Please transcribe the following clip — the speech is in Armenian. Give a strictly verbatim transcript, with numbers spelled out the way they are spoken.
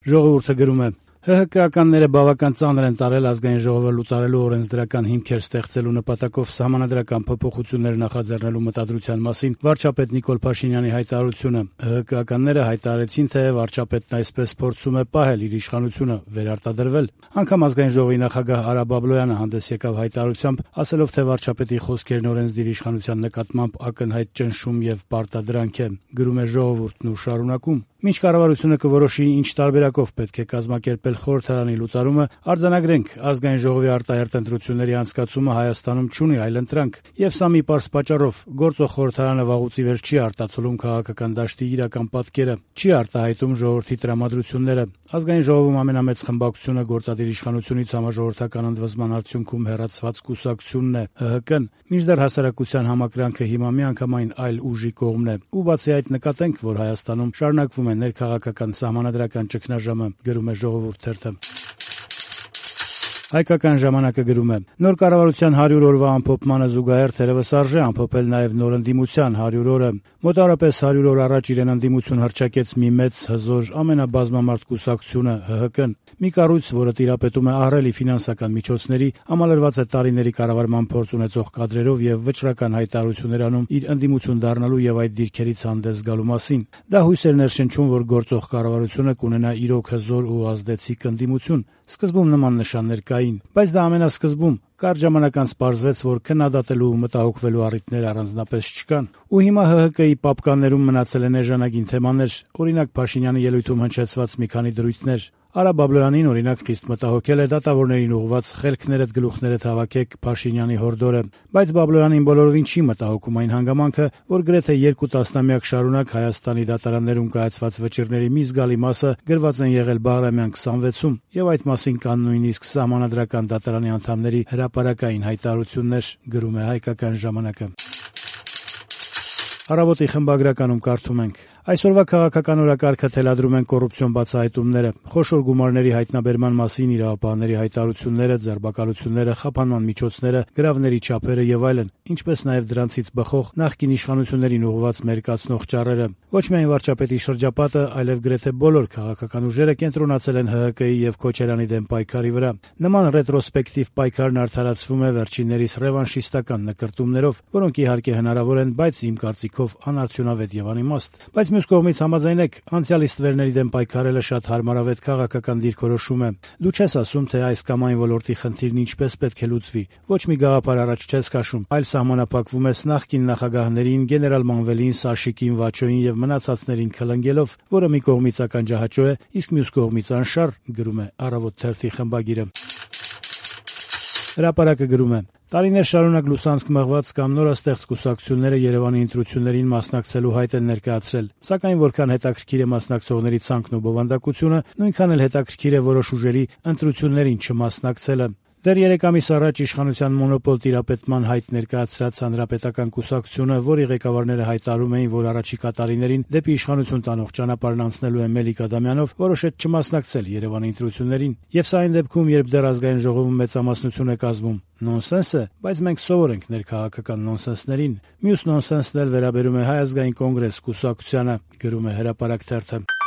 Ժողովուրդը գրում է. ՀՀԿ-ականները բավական ծանր են տարել ազգային ժողովը լուծարելու օրենսդրական հիմքեր ստեղծելու նպատակով սահմանադրական փոփոխություններ նախաձեռնելու մտադրության մասին վարչապետ Նիկոլ Փաշինյանի հայտարարությունը։ ՀՀԿ-ականները հայտարարեցին, թե վարչապետն այսպես փորձում է պահել իր իշխանությունը, վերարտադրվել։ Անգամ ազգային ժողովի նախագահ Արա Բաբլոյանը հանդես եկավ հայտարարությամբ, ասելով, թե վարչապետի խոսքերն օրենսդիր իշխանության նկատմամբ ակնհայտ ճնշում եւ պարտադրանք է։ Գրում է Ժողովուրդն ու շարունակում. Մինչ կառավարությունը կորոշի ինչ տարբերակով պետք է կազմակերպել խորհրդարանի լուծարումը, արձանագրենք, ազգային ժողովի արտահերթ ընտրությունների անցկացումը Հայաստանում չունի այլընտրանք, եւ սա մի պարզ պատճառով՝ գործող խորհրդարանը վաղուց ի վեր չի արտացոլում քաղաքական դաշտի իրական պատկերը, չի արտահայտում ժողովրդի տրամադրությունները։ Ազգային ժողովում ամենամեծ խմբակցությունը գործադիր իշխանությունից համաժողովրդական ընդվզման արդյունքում հեռացված կուսակցությունն է՝ ՀՀԿ-ն, մինչդեռ հասարակության համակրանքը հիմա միանգամայն այլ ուժի կողմն է։ Ու բացի այդ նկատենք, որ Հայաստանում շարունակվում է ներքաղաքական սահմանադրական ճգնաժամը, գրում է Ժողովուրդ թերթը։ Հայկական ժամանակը գրում է. նոր կառավարության հարյուր օրվա ամփոփմանը զուգահեռ թերևս արժե ամփոփել նաև նոր ընդդիմության հարյուր օրը։ Մոտավորապես հարյուր օր առաջ իրեն ընդդիմություն հռչակեց մի մեծ հզոր ամենաբազմամարդ կուսակցությունը՝ ՀՀԿ-ն, մի կառույց, որը տիրապետում է ահռելի ֆինանսական միջոցների, համալրված է տարիների կառավարման փորձ ունեցող կադրերով եւ վճռական հայտարարություններ անում իր ընդդիմություն դառնալու եւ այդ դիրքերից հանդես գալու մասին։ Դա հույս էր ներշնչում, որ գործող կառավարությունը կունենա իրոք հզոր ու ազդեցիկ ընդդիմություն։ Սկզբում նման նշաններ կային, բայց դա ամենասկզբում։ Կարճ ժամանակ անց պարզվեց, որ քննադատելու ու մտահոգվելու առիթներ առանձնապես չկան։ Ու հիմա ՀՀԿ-ի պապկաններում մնացել են էժանագին թեմաներ, օրինակ Փաշինյանի ելույթում հնչեցված մի քանի դրույթներ։ Արա Բաբլոյանին, օրինակ, խիստ մտահոգել է դատավորներին ուղղված «Խելքներդ գլուխներդ հավաքեք» Փաշինյանի հորդորը, բայց Բաբլոյանին բոլորովին չի մտահոգում այն հանգամանքը, որ գրեթե երկու տասնամյակ շարունակ Հայաստանի դատարաններում կայացված վճիռների մի զգալի մասը գրված են եղել Բաղրամյան քսանվեցում, եւ այդ մասին կան նույնիսկ սահմանադրական դատարանի անդամների հրապարակային հայտարարություններ, գրում է Հայկական ժամանակը։ Առավոտի խմբագրականում կարդում ենք. Այսօրվա քաղաքական օրակարգը թելադրում են կոռուպցիոն բացահայտումները, խոշոր գումարների հայտնաբերման մասին իրավապահների հայտարարությունները, ձերբակալությունները, խափանման միջոցները, գրավների չափերը եւ այլն, ինչպես նաեւ դրանցից բխող նախկին իշխանություններին ուղղված մերկացնող ճառերը։ Ոչ միայն վարչապետի շրջապատը, այլև գրեթե բոլոր քաղաքական ուժերը կենտրոնացել են ՀՀԿ-ի եւ Քոչարյանի դեմ պայքարի վրա։ Նման ռետրոսպեկտիվ պայքարն արդարացվում է վերջիններիս ռևանշիստական նկրտումներով, որոնք իհարկե հնարավոր են, բայց իմ կարծիքով անարդյունավետ եւ անիմաստ։ Բայց մյուս կողմից համաձայնեք, անցյալի ստվերների դեմ պայքարելը շատ հարմարավետ քաղաքական դիրքորոշում է։ Դու չես ասում, թե այս կամ այն ոլորտի խնդիրն ինչպես պետք է լուծվի։ Ոչ մի գաղափար առաջ չես քաշում, այլ սահմանափակվում ես նախկին նախագահներին, գեներալ Մանվելին, Սաշիկին, Վաչոին եւ մնացածներին քլնգելով, որը մի կողմից ականջահաճո է, իսկ մյուս կողմից անշառ, գրում է Առավոտ թերթի խմբագիրը։ Հրապարակը գրում է. տարիներ շարունակ լուսանցք մղված կամ նորաստեղծ կուսակցությունները Երևանի ընտրություններին մասնակցելու հայտ են ներկայացրել, սակայն որքան հետաքրքիր է մասնակցողների ցանկն ու բովանդակությունը, նույնքան էլ հետաքրքիր է որոշ ուժերի ընտրություններին չմասնակցելը։ Դեռ երեք ամիս առաջ իշխանության մոնոպոլ տիրապետման հայտ ներկայացրած Հանրապետական կուսակցությունը, որի ղեկավարները հայտարարում էին, որ առաջիկա տարիներին դեպի իշխանություն տանող ճանապարհն անցնելու է Մելիք Ադամյանով, որոշեց չմասնակցել Երևանի ընտրություններին։ Եվ սա այն դեպքում, երբ դեռ ազգային ժողովում մեծամասնություն է կազմում։ Նոնսենս է, բայց մենք սովոր ենք ներքաղաքական նոնսենսներին։ Մյուս նոնսենսն էլ վերաբերում է Հայ ազգային կոնգրես կուսակցությանը, գրում է Հրապարակ թերթը։